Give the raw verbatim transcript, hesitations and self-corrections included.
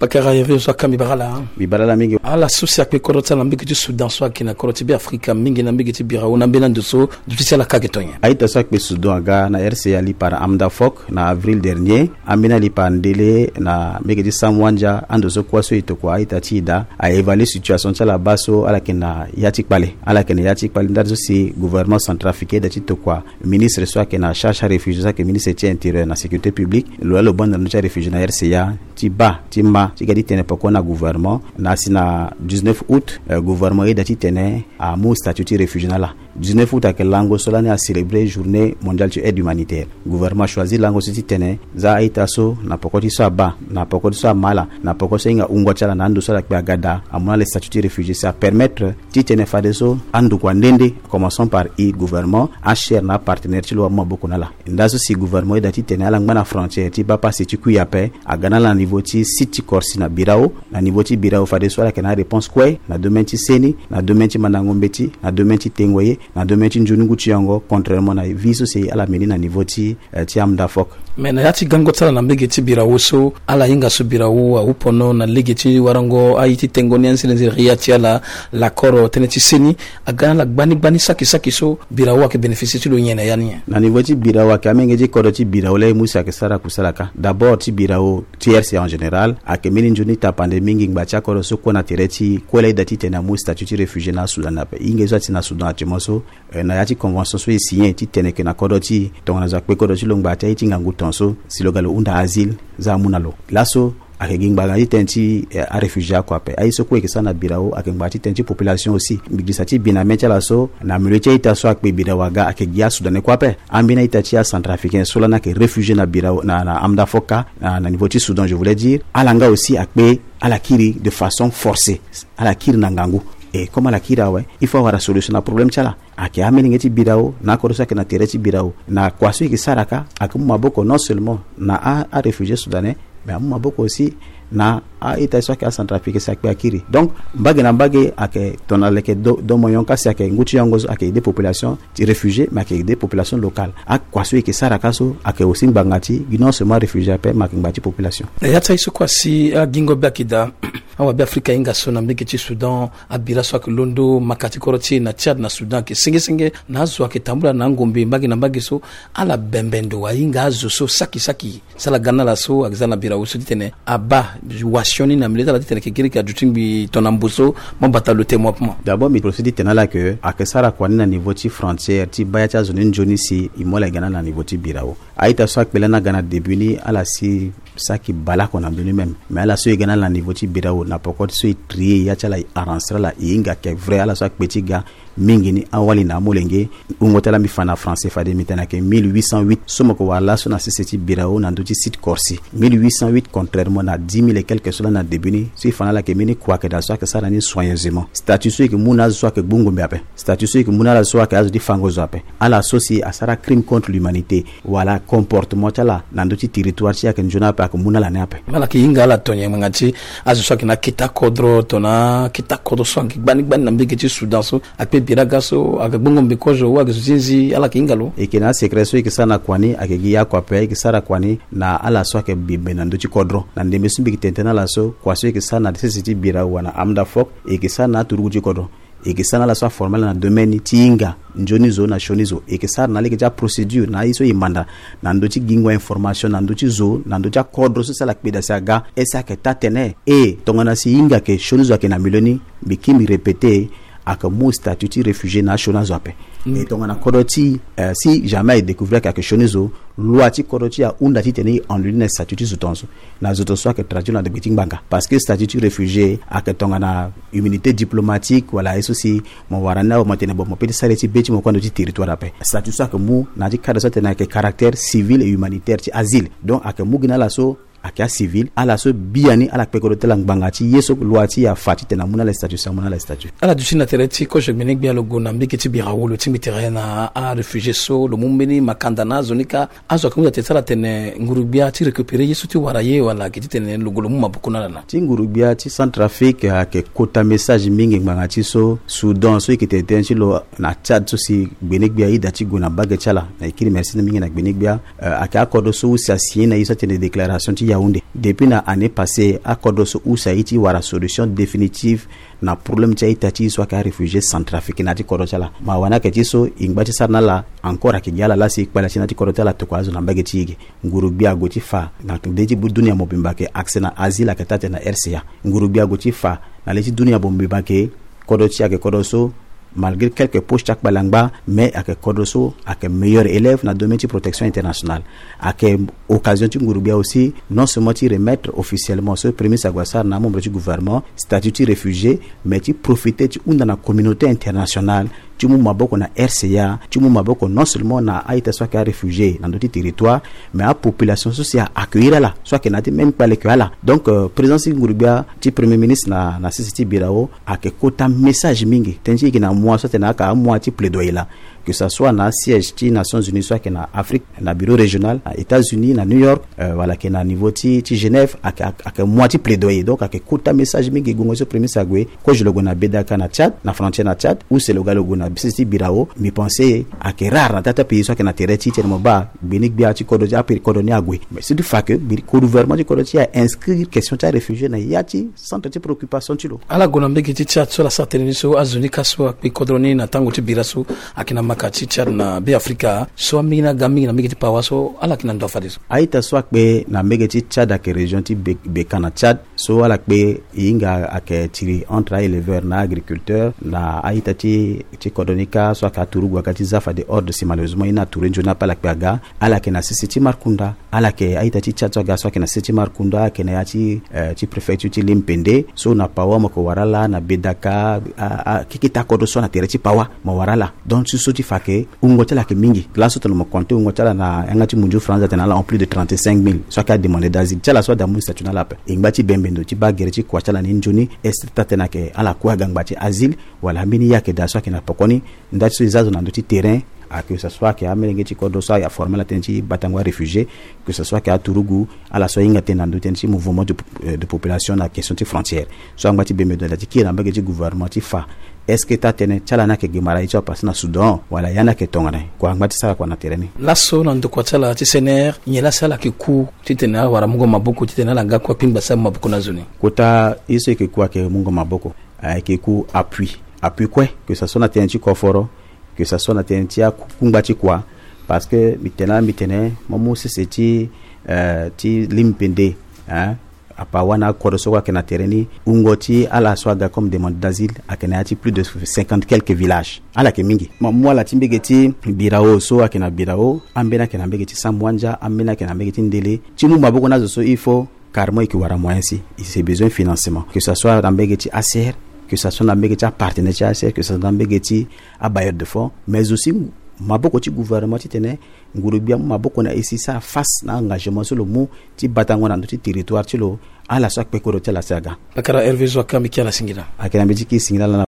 Pakara, iri so aka mbi bara ala. Mbi bara ala mingi. Ala so si akpe kodro ti ala na mbege ti Soudan so ayeke na kodro ti Be Afrika mingi na mbege ti bira wu na ambeni ando so duti ti ala ka ayeke to nyen? A-ita so akpe Soudan aga na R C A lipara Amda Fok na avril dernier. Ambeni alipara Ndele na mbege ti Samwandia, ando so kuâ so e tokua a-ita ti e daa, a évaluer situation ti ala baa so ala yeke na ya ti kpale. Ala yeke na ya ti kpale ndali so si gouvernement centrafricain e da ti tokua ministre so ayeke na charge ti aréfugié so ayeke ministre ti intérieur na sécurité publique, lo laa lo banda na ndö ti aréfugié na R C A, ti baa ti mä ti ga ti tene peko na gouvernement. Na si na dix-neuf août, eh, gouvernement e da ti tene amu statut ti réfugié na ala. Dix-neuf août ayeke lango so lani a célébrer journée mondiale ti aide humanitaire. Gouvernement achoisir lango so ti tene za a-ita so na peko ti so abaa, na peko ti so amä ala, na peko so ahinga wungo ti ala na ando so ala kpe aga daa, amu na ala statut ti réfugié, si apermettre ti tene fadeso andokua nde nde, commençons par e gouvernement, acher na apartenaire ti lo amu maboko na ala. Nda so si gouvernement e da ti tene ala ngba na frontière ti baa pasi ti kui ape, aga na ala na niveau ti site ti Corse na Birao, na niveau ti Birao fadeso ala yeke na aréponse kue na domaine ti seni, na domaine ti mandango mbeti, na domaine ti tengo ye, na domaine ti nzoni ngu ti yongo, contrairement na vie so si ala meni na niveau ti, eh, ti Amda Fok. Mais na ya ti gango ti ala na mbege ti Birao so, ala hinga so Birao ahun pono na lege ti warango aye ti tengo ni anzere nzere ya ti ala, lakoro tënë ti seni, aga na ala gbani gbani saki saki so Birao ayeke bénéficier ti lo nyen na ya ni? Na niveau ti Birao ayeke amenge ti kodro ti Birao laa e mu si ayeke sara kusala kâ. D'abord ti Birao ti R C A en général, ayeke mbeni nzoni tapande mingi ngba ti akodro so kue na tere ti kue laa e da ti tene amu statut ti réfugié na Soudan ape. E hinga ye so ati na Soudan actuellement so, eh, na ya ti convention so e signé ti tene ke na kodro ti e, tongana zo akpe kodro ti lo ngba ti aye ti ngangu tongaso, si lo ga lo hunda asile, za amu na lo. Laso ayeke gi ngbanga ti tënë ti, eh, aréfugié oko ape. Aye so kue e yeke sara na Birao ayeke ngbanga ti tënë ti population aussi. Mbi girisa ti bi na mê ti ala so, na milieu ti a-ita so akpe Birao aga, ayeke gi a-Soudanais kue ape. Ambeni a-ita ti a-Centrafricain so lani ayeke réfugié na Birao, na, na Amda Fok, na, na niveau ti Soudan, je voulais dire, ala nga aussi akpe, ala kiri de façon forcée. Ala kiri na ngangu. Et comme ala kiri awe, il faut awara solution na problème ti ala. Ayeke amolenge ti Birao na akodro so ayeke na tere ti Birao. Na kua so e yeke sara kâ, ayeke mu maboko non seulement na a, aréfugié soudanais, mais amu maboko aussi na a-ita so ayeke a-Centrafrique si akpe akiri. Donc mbage na mbage ayeke tongana leke do, do moyen kâ si ayeke ngu ti yongo so ayeke aider population ti réfugié, mais ayeke aider population locale. Akua so e yeke sara kâ so ayeke aussi ngbanga ti gi non seulement réfugié ape, mais ayeke ngbanga ti population. Na ya ti aye so kue asi agingo be ayeke daa, awabe Afrika ahinga so na mbage ti Soudan, abira so ayeke londo maka ti kodro ti e na Tchad na Soudan ayeke senge senge, na azo ayeke tambula na angombe mbage na mbage so, ala bembe ndo ahinga azo so saki saki. Sala ga na ala so ayeke za na Birao so titene abaa wasioni na milieu ti ala titene ayeke giri ayeke aduti ngbii tongana mbo so, mo bata lo te mo ape mo. D'abord mbi profite ti tene na ala ke ayeke sara kua ni na niveau ti frontière ti baa ya ti azo ni nzoni si e mu ala e ga na ala na niveau ti Birao. A-ita so akpe lani aga na début ni, ala si saki baleoko na ndö ni même. Mais ala so e ga na ala na niveau ti Birao, na poko ti so e trier ya ti ala, e arranger ala, e hinga ayeke vrai ala so akpe ti ga mingi ni awali na amolenge. Wungo ti ala mbi fa na français fade mbi tene ayeke mille huit cent huit so mo yeke wara laso na sese ti Birao na ndö ti site Corse. Mille huit cent huit, contrairement na dix mille et quelques so lani na début ni. So e fa na ala ayeke mbeni kua ayeke daa so ayeke sara ni soigneusement. Statut so e yeke mu na azo so ayeke gbu ngombe ape. Statut so e yeke mu na ala so ayeke azo ti fango zo ape. Ala so si asara crime contre l'humanité, wala comportement ti ala na ndö ti territoire ti e ayeke nzoni ape, ayeke mu na ala ni ape. Ala yeke hinga ala to nyen ngbanga ti azo so ayeke na akete kodro, tongana akete kodro so ayeke gbani gbani na mbage ti Soudan so, akpe bira ga so, ayeke gbu ngombe kozo, ou ayeke zo ti nzi, ala yeke hinga lo? E yeke na asecret so e yeke sara na kua ni, ayeke gi ye oko ape, e yeke sara kua ni na ala so ayeke bembe na ndö ti kodro. Na ndembe so mbi yeke tene tënë na ala so, kua so e yeke sara na sese ti Birao wala na Amda Fok, e yeke sara na aturugu ti kodro. E yeke sara na ala so aformer ala na domaine ti hinga nzoni zo na sioni zo. E yeke sara na lege ti aprocédure na aye so e manda na ndö ti gingo information na ndö ti zo, na ndö ti akodro so si ala kpe daa si aga, est-ce que ayeke taa tënë? E tongana si e hinga ayeke sioni zo ayeke na milieu ni, mbi kiri mbi répéter, ayeke mu statut ti réfugié na asioni azo ape. Mm. E tongana kodro ti e, eh, si jamais e découvrir ayeke, ayeke sioni zo, loi ti kodro ti e ahunda titene e annule na statut ti zo tongaso. Na zo tongaso ayeke traduire na degbe ti ngbanga. Parce que statut ti réfugié ayeke tongana immunité diplomatique, wala aye so si mo wara ni awe mo tene bon mo peut ti sara ye ti be ti mo kue na ndö ti territoire ape. Statut so ayeke mu na ya ti cadre so atene ayeke caractère civil et humanitaire ti asile. Donc ayeke mu gi na ala so ayeke acivil, ala so biani ala kpe kodro ti ala ngbanga ti ye so loi ti e afa titene amu na ala statut, si amu na ala statut. Ala duti na tere ti kozo gbene-gbia lo gue na mbage ti Birao, lo tingbi tere na aréfugié so, lo mu mbeni makanda na azo ni kâ. Azo ayeke hunda tene ti ala tene nguru-gbia ti récupérer ye so ti wara ye wala ayeke titene lo gue lo mu maboko na ala na? Ti nguru-gbia ti Centrafrique ayeke kota message mingi ngbanga ti so Soudan so e yeke tene tënë ti lo na Tchad so si gbene-gbia e da ti gue na mbage ti ala. Na e kiri merci mingi na gbene-gbia. Eh, ayeke akodro so aussi asigné na e so atene déclaration ti Yaoundé. Depuis na année passée, akodro so use aye ti wara solution définitive na problème ti a-ita ti e so ayeke aréfugié centrafricain na ya ti kodro ti ala. Mawa ni ayeke ti so e ngba ti sara na ala encore ayeke gi ala laa si e kpale ti na ya ti kodro ti ala tokua azo na mbage ti e ge. Nguru-gbia ague ti fa na nde ti dunia mobimba ayeke accès na asile ayeke taa tënë na R C A. Nguru-gbia ague ti fa na le ti dunia mobimba ayeke kodro ti e ayeke kodro so, malgré quelques poches ti akpale angba, mais ayeke kodro so ayeke meilleur élève na domaine ti protection internationale. Ayeke occasion ti nguru-gbia aussi non seulement ti remettre officiellement so premier ministre ague asara na amembre ti gouvernement, statut ti réfugié, mais ti profiter ti hunda na communauté internationale ti mu maboko na R C A, ti mu maboko non seulement na a-ita so ayeke aréfugié na ndö ti territoire, mais apopulation so si a accueillir ala, so ayeke na ya ti même kpale ke ala. Donc euh, présence ti nguru-gbia ti premier ministre na, na sese ti Birao ayeke kota message mingi. Tënë ti e yeke na amois so atene ayeke amois ti plaidoyer laa, que ça soit na siège ti Nations Unies so ayeke na Afrique, na bureau régional na États-Unis na New York, euh, wala ayeke na niveau ti, ti Genève, ayeke, ayeke, ayeke mois ti plaidoyer. Donc ayeke kota message mingi. Gongo so premier ministre ague, kozo lo gue na Bedaka na Tchad, na frontière na Tchad, use lo ga lo gue na sese ti Birao. Mbi pense ayeke rare na taa ti apays so ayeke na tere ti e ti tene mo baa gbeni gbia ti kodro ti apays kodro ni ague. Mais si ti fa ke gouvernement ti kodro ti e a inscrire question ti aréfugié na ya ti centre ti préoccupation ti lo. Ala gue na mbage ti Tchad so ala sara tënë ni so azo ni ka so akpe kodro ni na tango ti bira so ayeke na maka ti Tchad na Be Afrika so ambeni aga mingi na mbage ti Pawa so ala yeke na ndo fadeso. A-ita so akpe na mbage ti Tchad ayeke région ti Be-, Beka na Tchad. So ala kpe e hinga ayeke tiri entre a-éleveur na a-agriculteur na a-ita ti, ti kodro ni kâ so ayeke aturugu aga ti za fade ordre si malheureusement e na ature nzoni ape ala kpe aga. Ala yeke na sese ti Markunda. Ala yeke a-ita ti Tchad so aga so ayeke na sese ti Markunda, ayeke na ya ti, eh, ti préfecture ti Limpende. So na Pawa mo yeke wara ala, na Bedaka, a, a, keke ti akodro so na tere ti Pawa mo wara ala. Donc ti so ti fa ke wungo ti ala ayeke mingi. Laso tongana mo compter wungo ti ala na yanga ti munzu France atene ala en plus de trente-cinq mille so ayeke ademandé d'asile. Ti ala so adamu statut na ala ape. E ngba ti bembe ndo ti baa gere ti kua ti ala ni nzoni. Est-ce que taa tënë ayeke ala kue aga ngba ti asile, wala ambeni ye ayeke daa so ayeke na pekoni? Nda ti so e za zo na ndö ti terrain, a que ce soit ayeke amolenge ti kodro so aforme ala tënë ti batango aréfugié, que ce soit ayeke aturugu, ala so ahinga tënë na ndö tënë ti mouvement de, euh, de population na question ti frontière. So angba ti bembe ndo na da ti kiri na mbage ti gouvernement ti fa est-ce que taa tënë ti ala ni ayeke ge mara ye ti apassé na Soudan, wala ya ni ayeke tongana nyen? Kua angba ti sara kua na tere ni. Laso na ndokua ti ala ti C N R, nyen laa si ala yeke ku titene ala wara mungo maboko titene ala ga kue apingba si amu maboko na azo ni? Kota ye so e yeke ku ayeke mungo maboko, ayeke ku appui. Appui kue, que ce soit na tënë ti koforo, que ce soit na tënë ti akungba ti kua. Parce que mbi tene laa mbi tene mo mu sese ti, euh, ti Limpende, hein, Apawa na akodro so kue ayeke na tere ni, wungo ti ala so aga comme demandeur d'asile ayeke na ya ti plus de cinquante quelques villages. Ala yeke mingi. Mo mu ala ti mbage ti Birao so ayeke na Birao, ambeni ayeke na mbage ti Samouandja, ambeni ayeke na mbage ti Ndele. Ti mu maboko na azo so il faut carrément e yeke wara moyen si e se besoin financement, que ce soit na mbage ti A C R, que ce soit na mbage ti apartenaire ti A C R, que ce soit na mbage ti abailleur de fonds, mais aussi maboko ti gouvernement titene nguru-gbia amu maboko na e si e sara face na engagement so lo mu ti batango na ndö ti territoire ti lo. Ala so akpe kodro ti ala si aga. Pakara Hervé Zoaka, mbi ke ala singila. Ayeke na mbi ti ke singila laa na